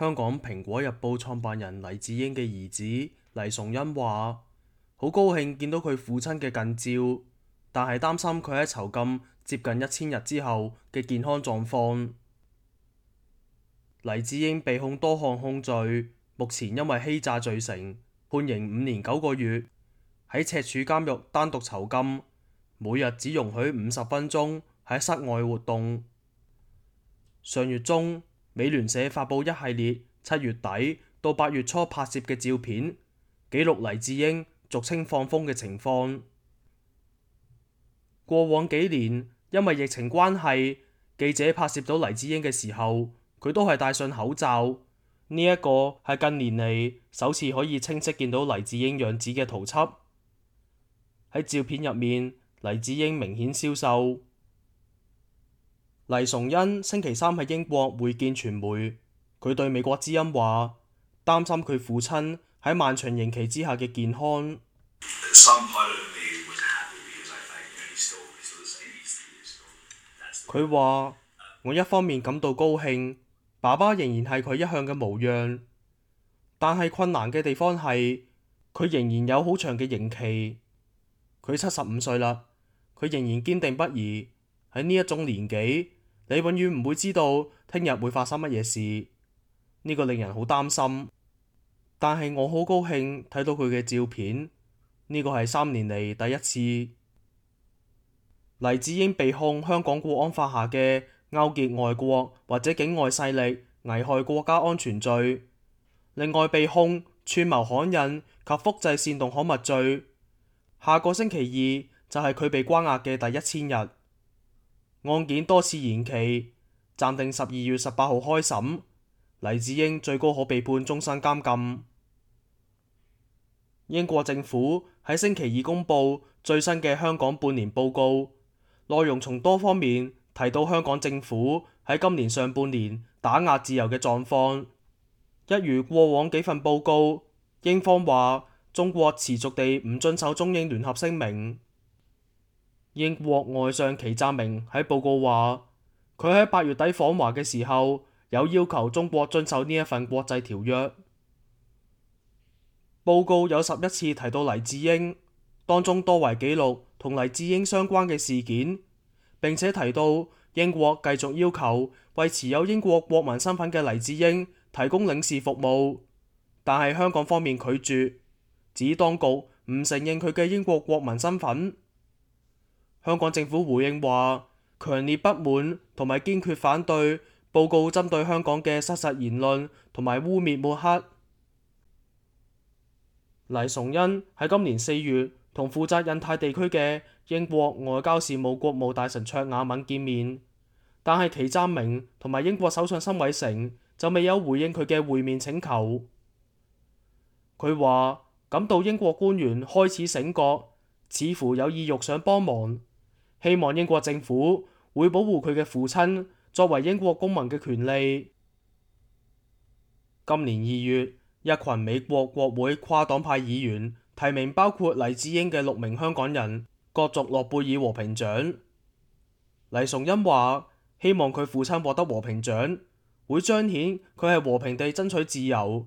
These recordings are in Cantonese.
香港蘋果日報創辦人黎智英嘅兒子黎崇恩話：好高興見到佢父親嘅近照，但係擔心佢喺囚禁接近1000日之後嘅健康狀況。黎智英被控多項控罪，目前因為欺詐罪成，判刑5年9個月，喺赤柱監獄單獨囚禁，每日只容許50分鐘喺室外活動。上月中，美聯社發佈一系列7月底到8月初拍攝嘅照片，記錄黎智英俗稱放風嘅情況。過往幾年，因為疫情關係，記者拍攝到黎智英嘅時候，佢都係戴上口罩。呢一個係近年嚟首次可以清晰見到黎智英樣子嘅圖輯。喺照片入面，黎智英明顯消瘦。黎崇恩星期三喺英國會見傳媒，佢對美國之音話，擔心佢父親喺漫長刑期之下嘅健康。佢話：我一方面感到高興，爸爸仍然係佢一向嘅模樣，但係困難嘅地方係佢仍然有好長嘅刑期。佢75歲啦，佢仍然堅定不移。喺呢一種年紀，你永遠唔會知道聽日會發生乜嘢事，呢個令人好擔心。但係我好高興睇到佢嘅照片，呢個係3年嚟第一次。黎智英被控香港國安法下嘅勾結外國或者境外勢力危害國家安全罪，另外被控串謀刊印及複製煽動刊物罪。下個星期二就係佢被關押嘅第1000日。案件多次延期，暫定12月18號開審。黎智英最高可被判終身監禁。英國政府喺星期二公布最新嘅香港半年報告，內容從多方面提到香港政府喺今年上半年打壓自由嘅狀況。一如過往幾份報告，英方話中國持續地唔遵守中英聯合聲明。英國外相祁湛明喺報告話，佢喺8月底訪華嘅時候，有要求中國遵守呢一份國際條約。報告有11次提到黎智英，當中多為記錄同黎智英相關嘅事件，並且提到英國繼續要求為持有英國國民身份嘅黎智英提供領事服務，但係香港方面拒絕，指當局唔承認佢嘅英國國民身份。香港政府回應話，強烈不滿同埋堅決反對報告針對香港嘅失實言論同埋污蔑抹黑。黎崇恩喺今年4月同負責印太地區嘅英國外交事務國務大臣卓雅敏見面，但係祁湛明同埋英國首相辛偉誠就未有回應佢嘅會面請求。佢話感到英國官員開始醒覺，似乎有意欲想幫忙，希望英國政府會保護佢嘅父親作為英國公民嘅權利。今年2月，一群美國國會跨黨派議員提名包括黎智英嘅6名香港人角逐諾貝爾和平獎。黎崇恩話希望佢父親獲得和平獎，會彰顯佢係和平地爭取自由，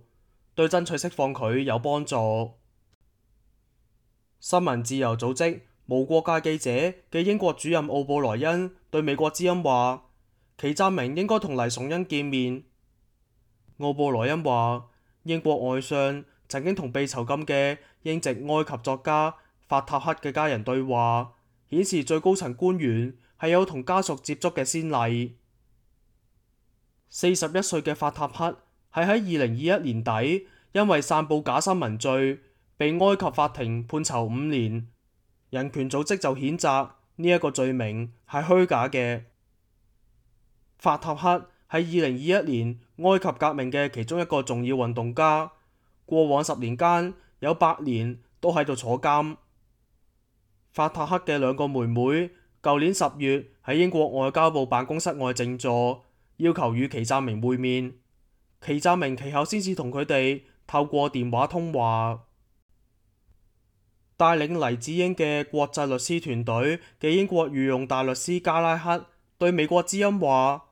對爭取釋放佢有幫助。新聞自由組織無國界記者嘅英國主任奧布萊恩對美國之音話，祁湛明應該同黎崇恩見面。奧布萊恩話，英國外相曾經同被囚禁嘅英籍埃及作家法塔赫嘅家人對話，顯示最高層官員係有同家屬接觸嘅先例。41歲嘅法塔赫係喺2021年底因為散佈假新聞罪被埃及法庭判囚5年。人權組織就譴責呢一個罪名係虛假嘅。法塔赫係2021年埃及革命嘅其中一個重要運動家，過往10年間有8年都喺度坐監。法塔赫嘅2個妹妹舊年10月喺英國外交部辦公室外靜坐，要求與祁湛明會面，祁湛明其後先至同佢哋透過電話通話。帶領黎智英嘅國際律師團隊嘅英國御用大律師加拉克對美國之音話，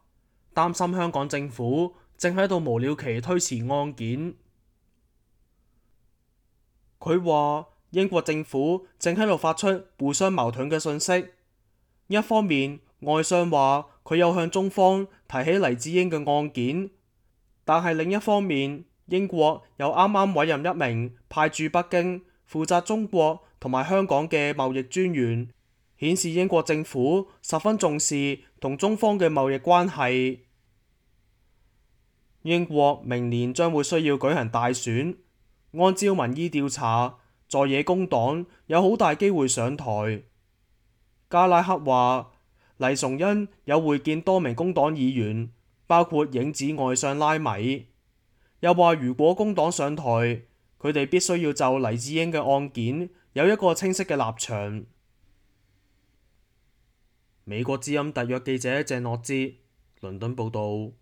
擔心香港政府正喺度無了期推遲案件。佢話英國政府正喺度發出互相矛盾嘅信息，一方面外相話佢有向中方提起黎智英嘅案件，但係另一方面英國又啱啱委任一名派駐北京負責中國同埋香港嘅貿易專員，顯示英國政府十分重視同中方嘅貿易關係。英國明年將會需要舉行大選，按照民意調查，在野工黨有好大機會上台。加拉克話黎崇恩有會見多名工黨議員，包括影子外相拉米，又話如果工黨上台，佢哋必須要就黎智英嘅案件有一個清晰嘅立場。美國之音特約記者鄭諾之倫敦報道。